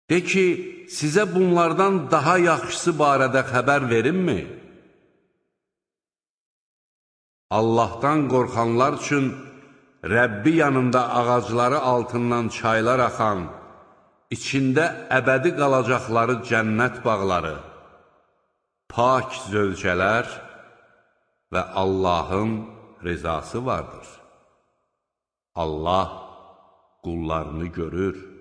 De ki, sizə bunlardan daha yaxşısı barədə xəbər verimmi? Allahdan qorxanlar üçün Rəbbi yanında ağacları altından çaylar axan, içində əbədi qalacaqları cənnət bağları, pak zövcələr və Allahın rizası vardır. Allah qullarını görür.